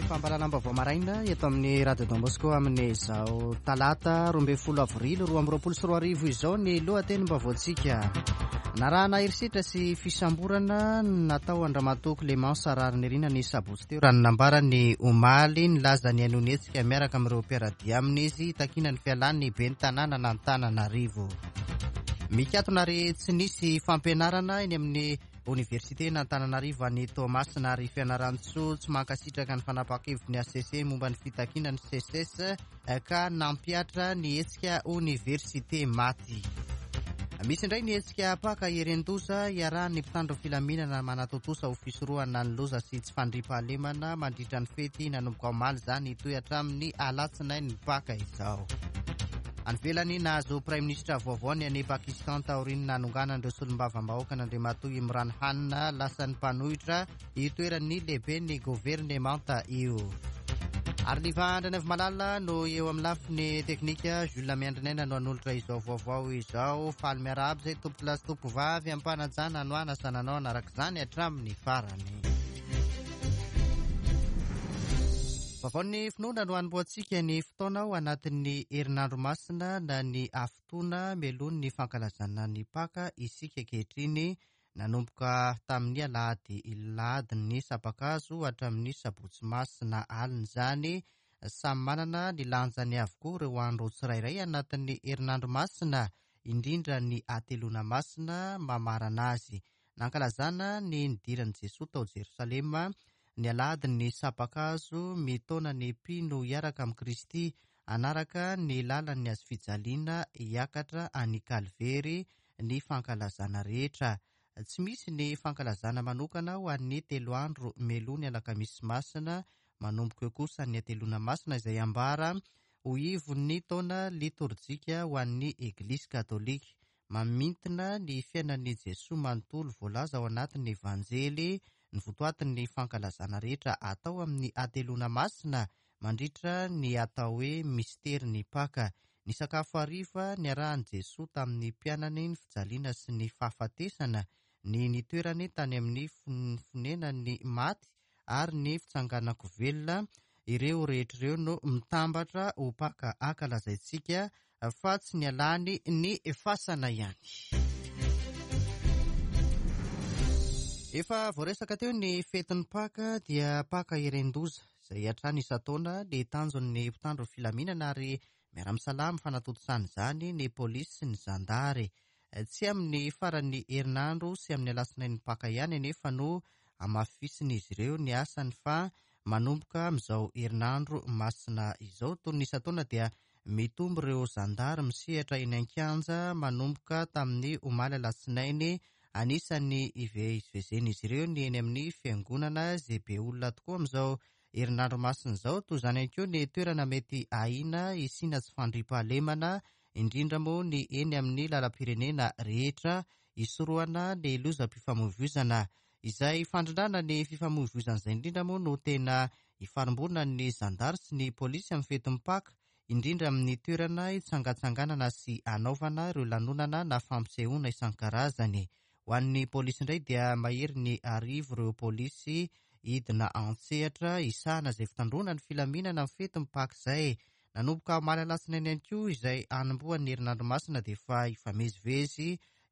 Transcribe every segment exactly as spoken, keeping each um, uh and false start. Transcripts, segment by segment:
Fampahalalam-baovao maraina eto amin'ny Radio Don Bosco amin'izao talata roa ambin'ny folo avrily roa amby roapolo sy roa arivo izao ny lohatenim-baovaontsika. Narahana herisetra sy fisamborana natao an-dRamatoa Clémence Raharinirina ny sabotsy teo, raha ny nambarany omaly. Nilaza ny hanohy ny hetsika miaraka amin'ireo mpiara-dia aminy izy hitakiana ny fialan'ny ben'ny tanàna an'Antananarivo. Mikatona ary tsy nisy fampianarana eny amin'ny oniversiten'Antananarivo any Toamasina ary Fianarantsoa. Tsy mankasitraka ny fanapahan-kevitry ny H C C momba ny fitakiana ny SECES ka nampihatra ny hetsika oniversite maty. Misy indray ny hetsika Paka ieren-doza iarahan'ny mpitandro filaminana manatontosa ho fisorohana ny loza sy tsy fandriampahalemana mandritra ny fety. Nanomboka omaly izany, hitohy hatramin'ny alatsinain'ny Paka izao. Any ivelany, nahazo praiminisitra vaovao ny any Pakistan taorian'ny nanonganan'ireo solombavambahoaka an'Andriamatoa Imran Khan, lasan'ny mpanohitra itoeran'ny lehibe ny governemanta io. Ary Liva Malala no eo amin'ny lafiny teknika, Jules Miandrinaina no hanolotra izao vaovao izao. Faly miarahaba izay tompokolahy sy tompokovavy, ampanajana no anasananao anaraka izany hatramin'ny farany. Vaovaon'ny finoana no hanombohantsika ny fotoana ao anatin'ny herinandro masina na ny hafitoana mialoha ny fankalazana ny Paka isika ankehitriny. Nanomboka tamin'ny alahady lahadin'ny sampakazo hatramin'ny sabotsy masina alina izany. Samy manana ny lanjany avokoa ireo andro tsirairay anatin'ny herinandro masina, indrindra ny hateloana masina mamarana azy. Nankalazana ny nidiran'i Jesoa tao Jerosalema ny alahadin'ny sampakazo, mitaona ny mpino hiaraka amin'i Kristy hanaraka ny lalan'ny hazo fijaliana hiakatra any Kalvery ny fankalazana rehetra. Tsy misy ny fankalazana manokana ho an'ny telo andro mialoha ny alakamisy masina. Manomboka eo kosa ny hateloana masina izay ambara ho ivon'ny taona litorjika ho an'ny Eglisy Katolika. Mamintina ny fiainan'i Jesoa manontolo voalaza ao anatin'ny Evanjely ny votoatin'ny fankalazana rehetra atao amin'ny hateloana masina mandritra ny atao hoe misterin'ny Paka. Ny sakafo hariva niarahan'i Jesoa tamin'ny mpianany, ny fijaliana sy ny fahafatesana, ny nitoerany tany amin'ny fonenan'ny maty ary ny fitsanganan-ko velona, ireo rehetra ireo no mitambatra ho Paka ankalazaintsika fa tsy ny alany ny fasana ihany. Efa voaresaka teo ny fetin'ny Paka, dia Paka ieren-doza izay hatrany isan-taona ny tanjon'ny mpitandro filaminana ary miara-misalahy amin'ny fanatontosana izany ny polisy sy ny zandary. Tsy amin'ny faran'ny herinandro sy amin'ny alatsinain'ny Paka ihany anefa no hamafisin'izy ireo ny asany fa manomboka amin'izao herinandro masina izao. Toy ny isan-taona dia mitombo ireo zandary misehatra eny an-kianja manomboka tamin'ny omaly alatsinainy. Anisan'ny ivezivezen'izy ireo ny eny amin'ny fiangonana izay be olona tokoa amin'izao herinandro masina izao. Toy izany ihany koa ny toerana mety ahiana hisiana tsy fandriampahalemana, indrindra moa ny eny amin'ny lalam-pirenena rehetra, hisorohana ny lozam-pifamoivoizana. Izay fandrindrana ny fifamoivoizana izay indrindra moa no tena ifarimbonan'ny zandary sy ny polisy amin'ny fetin'ny Paka, indrindra amin'ny toerana hitsangatsanganana sy hanaovana ireo lanonana na fampisehoana isan-karazany. Ho an'ny polisy indray dia mahery ny arivo ireo polisy hidina an-tsehatra hisahana izay fitandroana ny filaminana amin'ny fetin'ny Paka izay. Nanomboka omaly alatsinainy ihany koa izay hanombohan'ny herinandro masina dia efa hifamezivezy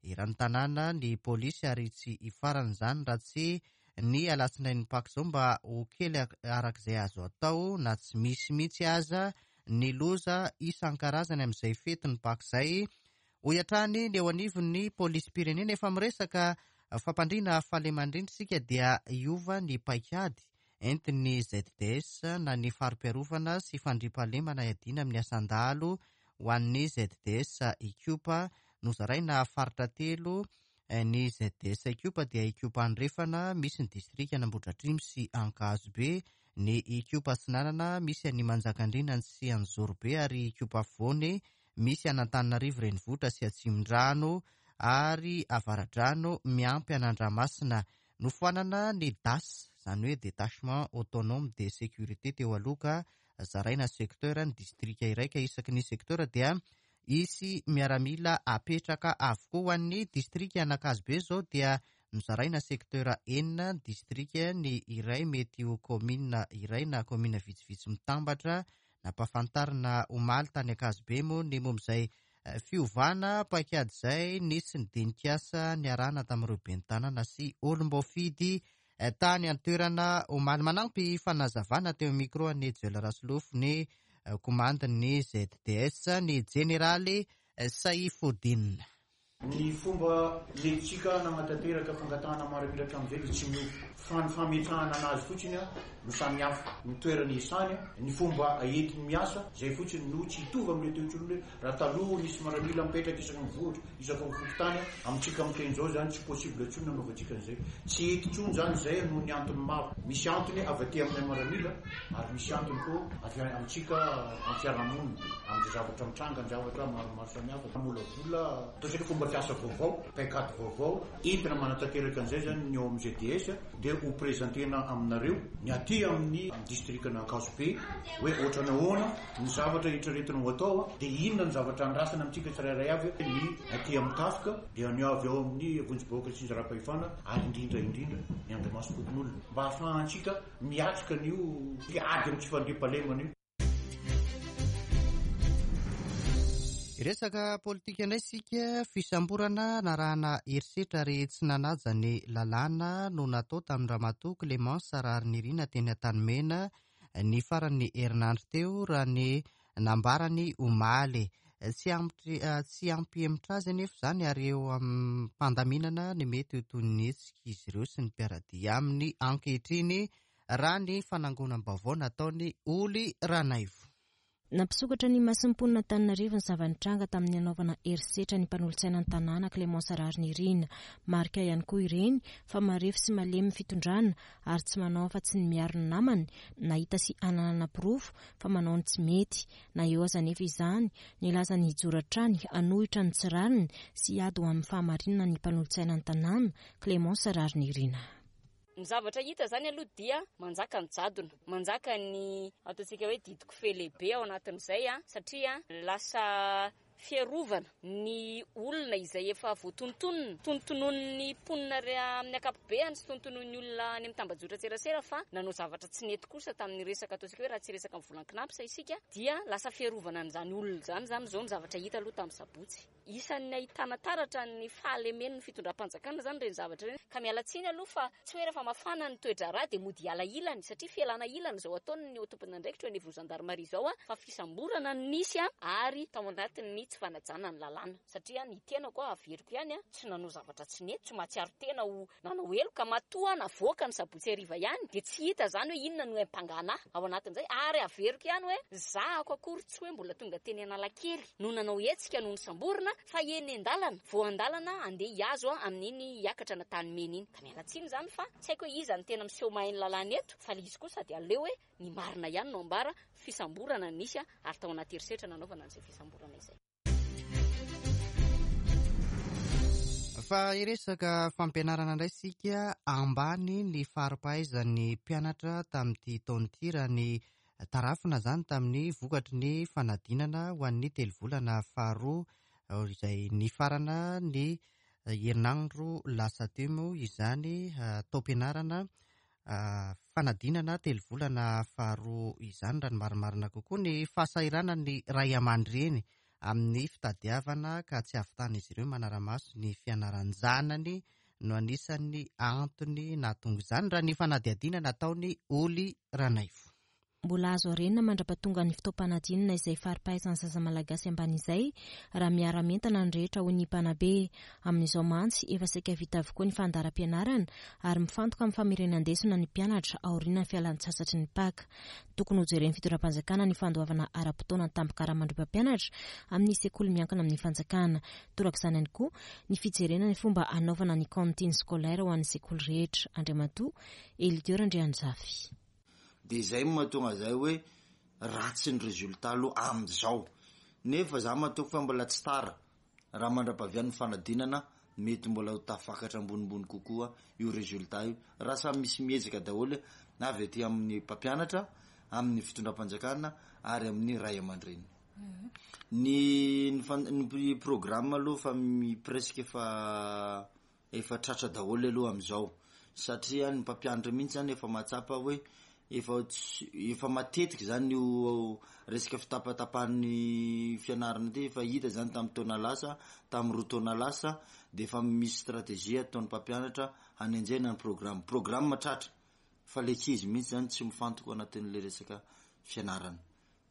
eran'ny tanàna ny polisy ary tsy hifarana izany raha tsy ny alatsinain'ny Paka izao mba ho kely arak'izay azo atao na tsy misy mihitsy aza ny loza isan-karazany amin'izay fetin'ny Paka izay. Hoy hatrany ny eo anivon'ny polisim-pirenena. Efa miresaka fampandriana fahalemana isika dia hiova ny paikady entin'ny Z D S na ny fari-piarovana sy fandriampahalemana iadiana amin'ny asan-dahalo. Ho an'ny Z D S Ikopa, nozaraina faritra telo ny Z D S Ikopa, dia Ikopa Andrefana misy ny distrika Ambohidratrimo sy Ankazobe, ny Ikopa Atsinanana misy any Manjakandriana sy Anjozorobe ary Ikopa Afovoany misy an'Antananarivo renivohitra sy Atsimondrano ary Avaradrano miampy an'Andramasina. Nofoanana ny D A S, izany hoe détachement autonome de sécurité teo aloha, ka zaraina secteur ny distrika iray ka isaky ny secteur dia isy miaramila apetraka avokoa. Ho an'ny distrika Anankazobe zao dia Nozaraina sektera enina ny distrika, ny iray mety ho kaominina iray na kaominina vitsivitsy mitambatra. Nampahafantarina omaly tany Ankazobe moa ny momba izay fiovana paikady izay. Nisy ny dinikasa niarahana tamin'ireo ben'ny tanàna sy olom-boafidy tany an-toerana omaly. Manampy fanazavana teo amin'ny micro an'i Joel Rasolofo ny komandin'ny Z D S, ny jeneraly Saifodine. Ny fomba nentintsika nanatanteraka fangatahana miaramila hatramin'izay dia tsy miova, fa ny fametrahana anazy fotsiny a no samy hafa, ny toerana isany, ny fomba entiny miasa zay fotsiny no tsy hitovy amin'le teo intsony. Hoe raha taloha nisy miaramila mipetraka isaky ny vohitra, isaky ny fokontany, amintsika miteny zao zany tsy possible intsony nanaovantsika an'izay, tsy ety intsony zany zay noho ny antony maro. Misy antony avy aty aminay miaramila ary misy antony koa avy amintsika amin'ny fiarahamonina, amin'izay zavatra mitranga, ny zavatra maromaro samihafa, molavola ataontsika fomba fiasa vaovao, paikady vaovao entina manatanteraka an'izay zany. Ny ao amin'ny Z D S dia ho présentena aminareo ny aty amin'ny district n'Ankazobe hoe ohatrany ahoana ny zavatra eritreretina ho atao, dia inona ny zavatra andrasana amintsika tsirairay avy, ny aty amin'ny tafika, dia ny avy ao amin'ny vonjy-bahoaka tsinjaram-pahefana, ary indrindra indrindra ny andrimasom-pokonolona, mba hahafahantsika miatrika an'io ady amin'ny tsy fandriampahalemana io. Resaka politika indray sika. Fisamborana narahana herisetra ary tsy nanaja ny lalàna no natao tamin'ny ramatoa Clémence Raharinirina teny Antanimena ny faran'ny herinandro teo, raha ny nambarany omaly. Tsy ampy tsy ampihemotra azy anefa izany, ary eo amin'ny fandaminana ny mety ho toy ny hetsika izy ireo sy ny mpiara-dia aminy ankehitriny, raha ny fanangonam-baovao nataony Oly Ranaivo. Nampisokatra ny mason'ny mponina Antananarivo ny zava-nitranga tamin'ny anaovana herisetra ny mpanolotsaina ny tanàna Clémence Raharinirina. Marika ihany koa ireny fa marefo sy malemy ny fitondrana ary tsy manao afa-tsy ny miaro ny namany nahita sy ananana porofo fa manao ny tsy mety. Na eo aza nefa izany, nilaza ny hijoro hatrany hanohitra ny tsy rariny sy hiady ho amin'ny fahamarinana ny mpanolotsaina ny tanàna Clémence Raharinirina. Ny zavatra hita zany aloha dia manjaka ny jadona, manjaka ny ataontsika hoe didiko fe lehibe ao anatin'izay a, satria lasa fiarovana ny olona izay efa voatonontonona tonontonon'ny mponina amin'ny ankapobeany sy tonontonon'ny olona any amin'ny tambajotra tserasera fa nanao zavatra tsy nety kosa tamin'ny resaka ataontsika hoe, raha tsy resaka amin'ny volan-kinapsa isika, dia lasa fiarovana an'izany olona zany. Zany zao ny zavatra hita aloha tamin'ny sabotsy. Isan'ny ahitana taratra ny fahalemen'ny fitondram-panjakana zany reny zavatra reny, ka miala tsiny aloha fa tsy hoe rehefa mafana ny toe-draharaha dia mody hiala ilany, satria fialana ilany zao ataony ny tompon'andraikitra eo anivon'ny gendarmerie zao a, fa fisamborana ny nisy a, ary tao anatin'ny tsy fanajana ny lalàna, satria ny tenako a, averiko ihany a, tsy nanao zavatra tsy nety, tsy mahatsiaro tena ho nanao heloka. Matoa navoaka ny sabotsy hariva ihany dia tsy hita zany hoe inona no ampangana ao anatin'izay. Ary averiko ihany hoe zahako akory tsy hoe mbola tonga teny Analakely no nanao hetsika no nisamborina, fa eny an-dalana, vo an-dalana andeha hiazo a amin'iny hiakatra n'Antanimena iny. Ka miala tsiny zany fa tsy haiko hoe iza ny tena miseho mahay ny lalàna eto, fa le izy kosa dia aleo hoe ny marina ihany no ambara. Fisamborana nisy a, ary tao anaty herisetra nanaovana an'izay fisamborana izay. Fa iresaka fampianarana indray sika. Ambany ny fari-pahaizan'ny mpianatra tamin'ity taona ity, raha ny tarafina zany tamin'ny vokatry ny fanadinana ho an'ny telo volana faharoa izay ny farana ny herinandro lasa teo moa izany taom-pianarana, fanadinana telo volana faharoa izany raha ny marimarina kokoa. Ny fahasahiranany ray aman-dreny amin'ny fitadiavana ka tsy ahavitana izy ireo manara-maso ny fianaran-janany no anisan'ny antony nahatonga izany, raha ny fanadihadiana nataony Oly Ranaivo. Mbola azo arenina mandra-pahatonga ny fotoam-panadinana izay fari-pahaizan'ny zaza malagasy ambany izay raha miara-mientana ny rehetra, hoy ny mpanabe. Amin'izao mantsy efa saika vita avokoa ny fandaharam-pianarana ary mifantoka amin'ny famerenan-desona ny mpianatra aoriana ny fialan-tsasatry ny Paka. Tokony hojeren'ny fitondram-panjakana ny fandoavana ara-potoana ny tambin-karaman'ireo mpampianatra amin'ny sekoly miankina amin'ny fanjakana. Torak'izany ihany koa ny fijerena ny fomba anaovana ny cantine scolaire ho an'ny sekoly rehetra. Andriamatoa Elidior Andrianjafy. De zay mahatonga zay hoe ratsy ny résultat aloha am'izao, nefa za mahatoky fa mbola tsy tara raha mandra-pahavian'ny fanadinana, mety mbola ho tafakatra ambonimbony kokoa io résultat io, raha samy misy miezaka daholo na avy aty amin'ny mpampianatra, amin'ny fitondram-panjakana ary amin'ny ray aman-dreny. Ny ny programme aloha fa mi presque efa Efa tratra daholo aloha amin'izao, satria ny mpampianatra mihitsy zany efa mahatsapa hoe efa efa matetika zany io resaka fitapatapahan'ny fianarana ity, efa hita zany tamin'ny taona lasa, tamin'ny roa taona lasa, de efa misy stratégie ataon'ny mpampianatra hanenjehana ny programme. Programme tratra fa le ankizy mihitsy zany tsy mifantoka anatin'le resaka fianarana.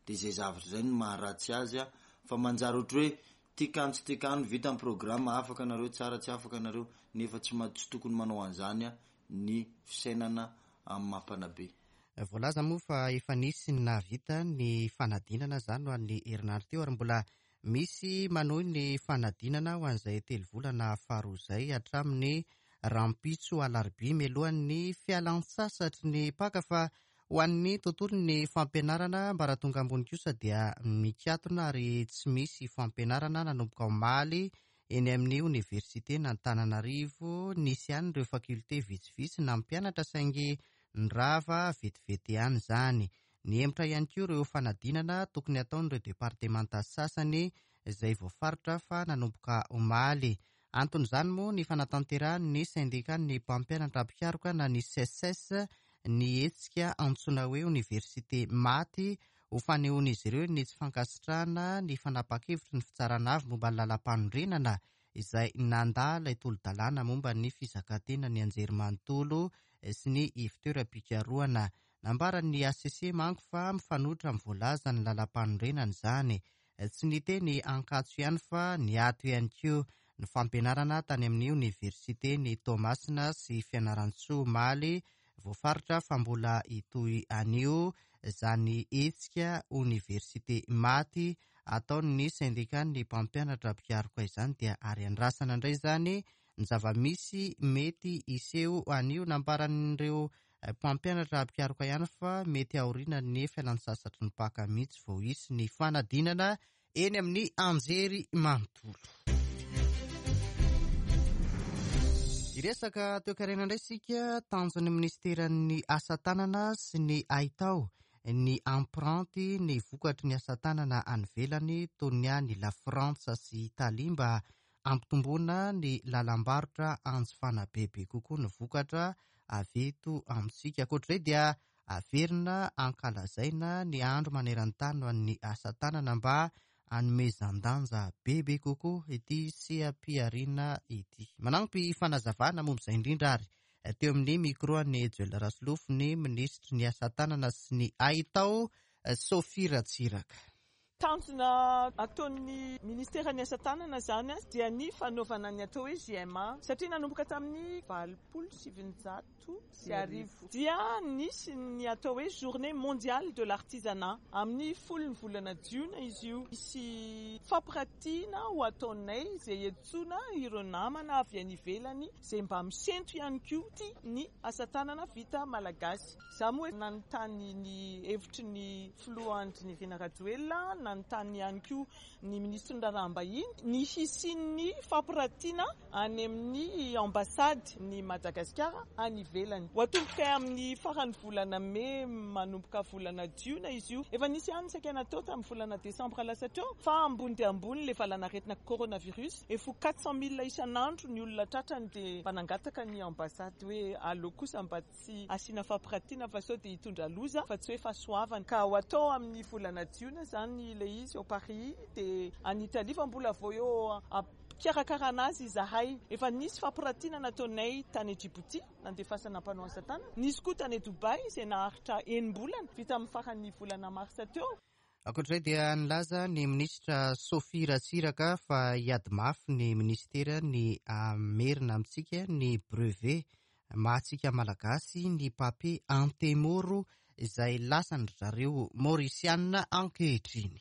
De zay zavatra zay no maharatsy azy a, fa manjary ohatry hoe tikano tsy tikano, vita ny programme, afaka anareo tsara, tsy afaka anareo, nefa tsy tsy tokony manao an'izany a ny fisainana amin'ny mampanabe. Voalaza moa fa efa nisy ny nahavita ny fanadinana izany ho an'ny herinandro teo, ary mbola misy manohy ny fanadinana ho an'izay telo volana faharoa izay hatramin'ny rahampitso alarobia mialohan'ny fialan-tsasatry ny Paka. Fa ho an'ny tontolon'ny fampianarana ambaratonga ambony kosa dia mikatona ary tsy misy fampianarana nanomboka omaly eny amin'ny oniversiten'Antananarivo. Nisy ihany ireo fakilte vitsivitsy nampianatra saingy nirava vetivety ihany izany. Nihemotra ihany koa ireo fanadinana tokony hataon'ireo departemanta sasany izay voafaritra fa nanomboka omaly. Anton'izany moa ny fanatanterahan'ny sendikan'ny mpampianatra mpikaroka na ny S E S S ny hetsika antsoina hoe oniversite maty ho fanehoan'izy ireo ny tsy fankasitrahana ny fanapa-kevitry ny fitsarana avo momba ny lalam-panorenana izay nandà ilay tolo-dalàna momba ny fizakantena ny anjerimanontolo sy ny ivontoeram-pikarohana. Nambaran'ny H C C manko fa mifanohitra amin'ny voalazan'ny lalam-panorenana izany. Tsy niteny Ankatso ihany fa niato ihany koa ny fampianarana tany amin'ny oniversite ny Toamasina sy Fianarantsoa omaly. Voafaritra fa mbola hitohy anio izany hetsika oniversite maty ataon'ny sendikan'ny mpampianatra mpikaroka izany, dia ary andrasana indray izany ny zava-misy mety hiseho anio. Nambaran'ireo mpampianatra mpikaroka ihany fa mety aoriana ny fialan-tsasatry ny Paka mihitsy vao hisy ny fanadinana eny amin'ny anjery manontolo. Hiresaka toekarena indray isika. Tanjon'ny ministeran'ny asa tanana sy ny haitao ny ampranty ny vokatry ny asa tanana any ivelany toy ny any La Frantsa sy Italia mba hampitomboana ny lalam-barotra anjifana bebe kokoa ny vokatra avy eto amintsika. Ankoatr'izay dia averina ankalazaina ny andro maneran-tany ho an'ny asa tanana mba hanomezan-danja bebe kokoa ity seha-pihariana ity. Manampy fanazavana momba izay indrindra ary teo amin'ny micro an'i Joel Rasolofo ny minisitry ny asa tanana sy ny haitao Sophie Ratsiraka. Tanjona ataon'ny ministeran'ny asa tanana zany dia ny fanaovana ny atao hoe J M A, satria nanomboka tamin'ny valopolo sivinjato sy arivo dia nisy ny atao hoe journée mondiale de l'artisanat amin'ny folo ny volana jiona izy io. Misy fampiratiana ho ataonay izay antsoina ireo namana avy any ivelany izay mba misento ihany koa tia ny asa tanana vita malagasy. Izaho moa nanontany ny hevitry ny filoha Andry Nirina Rajoelina, nanontany ihany koa ny minisitry ny raharaham-bahiny ny hisian'ny fampiratiana any amin'ny ambasady ny Madagasikara any ivelany. Ho atomboka amin'ny faran'ny volana mey manomboka volana jiona izy io. Efa nisy ihany saika natao tamin'ny volana desambra lasa teo, fa ambony dia ambony ilay valanaretina coronavirus. Efa quatre cent mille isan'andro ny olona tratrany dia mba nangataka ny ambasady hoe aleo kosa mba tsy asiana fampiratiana fa sao dia hitondra loza fa tsy hoe fahasoavana. Ka ho atao amin'ny volana jiona zany ilay izy ao Paris dia any Italie, fa mbola vao eo am-pikarakarana azy izahay. Efa nisy fampiratiana nataonay tany Djibouti nandefasana mpanao asa tanana, nisy koa tany Dubai izay naharitra enim-bolana vita amin'ny faran'ny volana marsa teo. Ankoatr'izay dia nilaza ny minisitra Sophie Ratsiraka fa hiady mafy ny ministera ny hamerina amintsika ny brevet mahatsika malagasy ny papier antemoro izay lasan-dry zareo Maorisiana ankehitriny.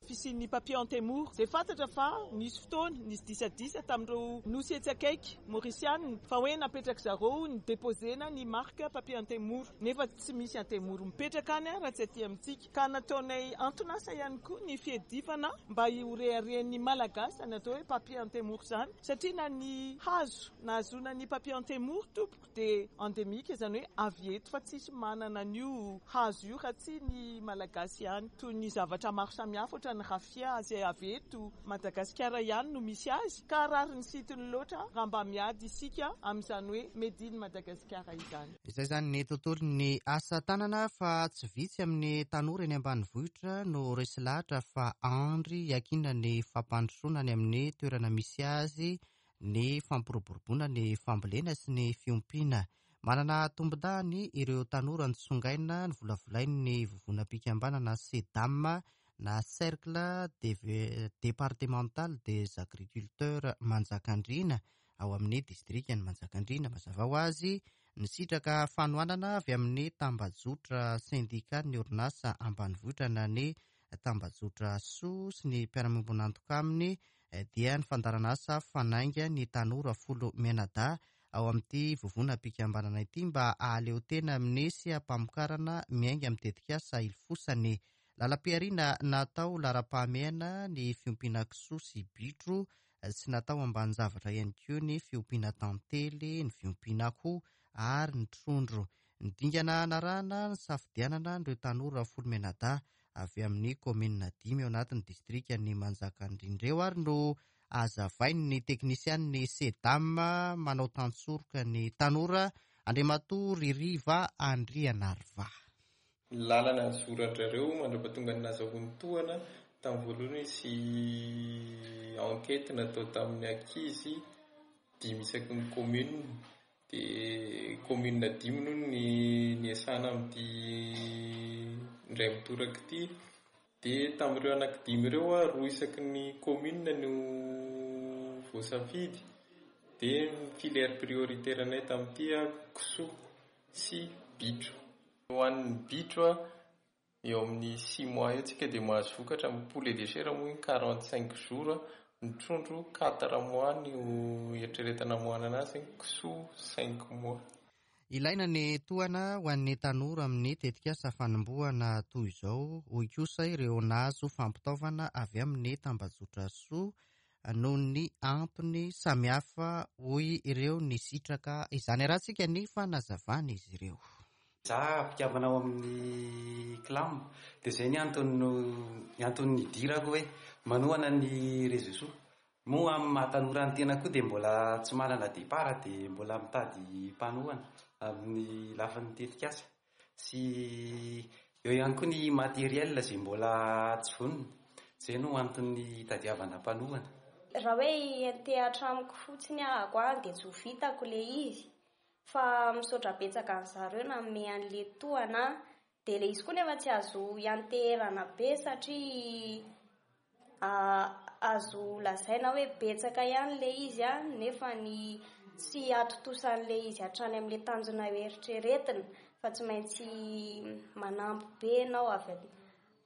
Fisian'ny papier antemoro izay fantatra fa nisy fotoana nisy disadisa tamin'ireo nosy etsy akaiky Maorisiana fa hoe napetraka zareo ny déposena ny marque papier antemoro, nefa tsy misy antemoro mipetraka any raha tsy aty amintsika. Ka nataonay anton'asa ihany koa ny fiadivana mba hireharehan'ny malagasy ny atao hoe papier antemoro izany, satria na ny hazo nahazoana ny papier antemoro tompoko dia endémique, izany hoe avy eto fa tsisy manana an'io hazo io raha tsy ny malagasy ihany. Toy ny zavatra maro samihafa ohatra ny rafia izay avy eto Madagasikara ihany no misy azy, ka rariny sy hitsiny loatra raha mba miady isika amin'izany hoe made in Madagasikara izany. Izay izany ny tontolon'ny asa tanana, fa tsy vitsy amin'ny tanora eny ambanivohitra no resy lahatra fa andry iankinana ny fampandrosoana any amin'ny toerana misy azy ny fampiroboroboana ny fambolena sy ny fiompiana. Manana tombondahiny ireo tanora nitsongaina ny volavolain'ny vovonam-pikambanana SEDAM na Cercle Départemental des Agriculteurs Manjakandriana ao amin'ny distrikan'i Manjakandriana. Mazava ho azy, nisitraka fanohanana avy amin'ny tambajotra sendikaly orinasa ambanivohitra na ny tambajotra SOA sy ny mpiara-miombon'antoka aminy, dia ny fandaharanasa Fanainga ny tanora folo mianadahy ao amin'ity vovonam-pikambanana ity mba hahaleo tena amin'ny seha-pamokarana miainga amin'ny tetikasa ilofosany. Lalam-pihariana natao laharam-pahamehana ny fiompiana kisoa sy bitro, tsy natao ambanin-javatra ihany koa ny fiompiana tantely, ny fiompiana akoho ary ny trondro. Ny dingana narahana ny safidianana ireo tanora folo mianadahy avy amin'ny kaominina dimy ao anatin'ny distrikan'i Manjakandriana ireo ary no azavain'ny teknisian'ny SEDAM manao tantsoroka ny tanora Andriamatoa Ririva Andrianariva. Ny lalana nizoran-drareo mandra-pahatonga ny nahazahoany tohana tamin'ny voalohany sy enquête natao tamin'ny ankizy dimy isaky ny commune, dia commune dimy no ny niasana amin'ity indray mitoraka ity. Dia tamin'ireo anankidimy ireo, roa isaky ny commune no voasafidy. Dia ny filière prioritaire anay tamin'ity kisoa sy bitro. Ho an'ny bitro eo amin'ny six mois eo tsika dia mahazo vokatra. Amin'ny poulet de chair moa iny quarante cinq jours, ny trondro quatre mois no eritreretina hamoahana anazy, kisoa cinq mois. Ilaina ny tohana ho an'ny tanora amin'ny tetikasa fanombohana toy izao, hoy kosa ireo nahazo fampitaovana avy amin'ny tambajotra SOA noho ny antony samihafa, hoy ireo nisitraka izany. Arahantsika ny fanazavana izy ireo. Za mpikambana ao amin'ny CLAM, dia izay ny antony ny antony nidirako hoe manohana ny réseau SOA. Moa amin'ny maha tanora ny tena koa dia mbola tsy manana départ, dia mbola mitady mpanohana amin'ny lafiny tetikasa, sy eo ihany koa ny matériel izay mbola tsy vonona. Izay no antony hitadiavana mpanohana. Raha hoe hiantehatra amiko fotsiny ahako any dia tsy ho vitako ilay izy, fa misaotra betsaka an'zareo nanome an'ilay tohana. Dia ilay izy koa nefa tsy azo hianteherana be satria azo lazaina hoe betsaka ihany ilay izy a, nefa ny tsy atontosan'ilay izy hatrany amin'ilay tanjona eritreretina, fa tsy maintsy manampy be ianao avy,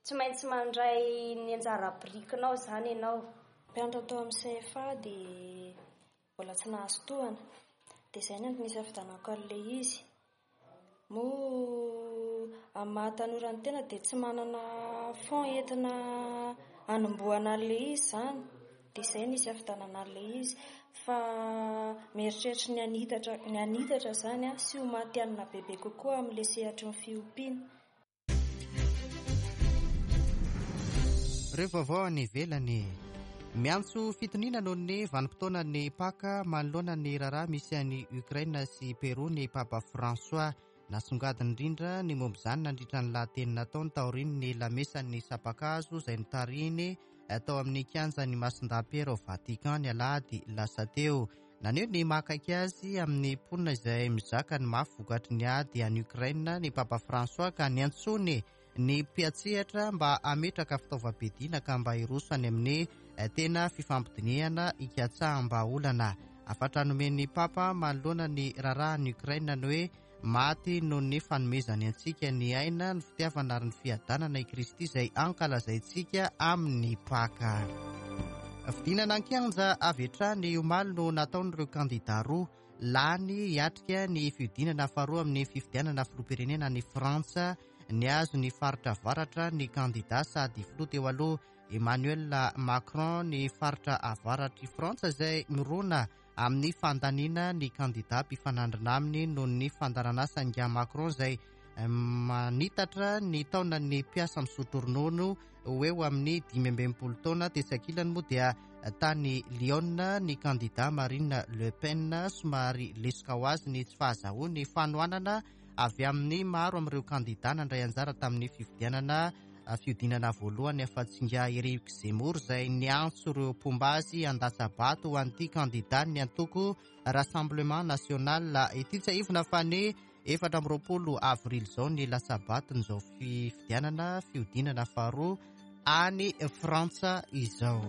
tsy maintsy mandray ny anjara birikinao izany ianao. Mpianatra tao amin'ny C F A dia mbola tsy nahazo tohana, dia izay no antony nisafidianako an'ilay izy. Moa amin'ny maha tanora ny tena dia tsy manana fonds entina hanombohana an'ilay izy izany, dia izay no nisafidianana an'ilay izy. Fa mieritreritra ny hanitatra, ny hanitatra izany a, sy ho matihanina bebe kokoa amin'ilay sehatry ny fiompiana. Ireo vaovao any ivelany. Miantso fitoniana noho ny vanim-potoanan'ny Paka manoloana ny raharaha misy any Ukraine sy Peru ny Papa François. Nasongadina indrindra ny momba izany nandritra ny lahateny nataony taorian'ny lamesan'ny sampan-kazo izay notarihiny tao amin'ny kianjan'ny Masindahy-Piera ao Vatican ny alahady lasa teo. Naneho ny mahakaiky azy amin'ny mponina izay mizaka ny mafy vokatry ny ady any Ukraine ny Papa François, ka niantsony ny mpiantsehatra mba hametraka fitaovam-piadiana ka mba hiroso any amin'ny tena fifampidinihana hikatsaham-bahaolana. Hafatra nomen'ny Papa manoloana ny raharahan'i Ukraine ny hoe maty noho ny fanomezany antsika ny aina, ny fitiavana ary ny fiadanana i Kristy izay ankalazaintsika amin'ny Paka. Fidinana an-kianja avy hatrany omaly no nataon'ireo kandida roa lany hiatrika ny fihodinana faharoa amin'ny fifidianana filoham-pirenena any Frantsa. Nihazo ny faritra avaratra ny kandida sady filoha teo aloha Emmanuel Macron, ny faritra avaratry Frantsa izay mirona amin'ny fandaniana ny kandida mpifanandrina aminy noho ny fandaharanasa Nga Macron izay manitatra ny taonan'ny mpiasa misotro ronono ho eo amin'ny dimy amby enimpolo taona. Tetsy ankilany moa dia tany Lyon ny kandida Marine Le Pen, somary lesoka ho azy ny tsy fahazahoany fanohanana avy amin'ny maro amin'ireo kandida nandray anjara tamin'ny fifidianana fihodinana voalohany, afa-tsy ingahy Eric Zemmour izay niantso ireo mpomba azy handatsa-bato ho an'ity kandida ny antoko Rassemblement National ity. Tsiahivina fa ny efatra amby roapolo avrily izao ny latsa-baton'izao fifidianana fihodinana faharoa any Frantsa izao.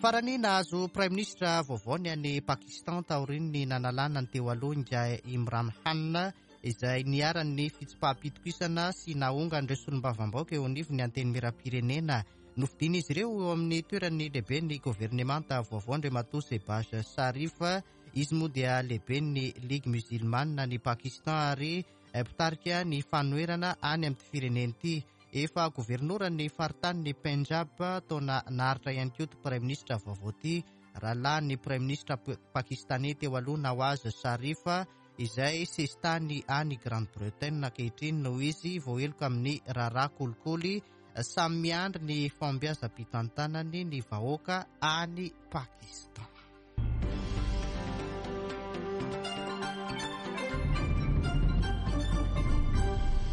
Farany, nahazo praiminisitra vaovao ny any Pakistan taorian'ny nanalana ny teo aloha ingahy Imran Khan, izay niharan'ny fitsipaham-pitokisana sy naongan'ireo solombavambahoaka eo anivon'ny antenimieram-pirenena. Nofidin'izy ireo eo amin'ny toeran'ny lehiben'ny governemanta vaovao Andriamatoa Shehbaz Sharif. Izy moa dia lehiben'ny Ligue musulmane ny Pakistan ary mpitarika ny fanoherana any amin'ity firenena ity. Efa governoran'ny faritanin'ny Punjab taona naharitra ihany koa ity praiminisitra vaovao ity, rahalahin'ny praiminisitra pakistanais teo aloha Nawaz Sharif, izay sesitany any Grande-Bretagne ankehitriny noho izy voaheloka amin'ny raharaha kolikoly. Samy miandry ny fahombiazam-pitantanany ny vahoaka any Pakistan.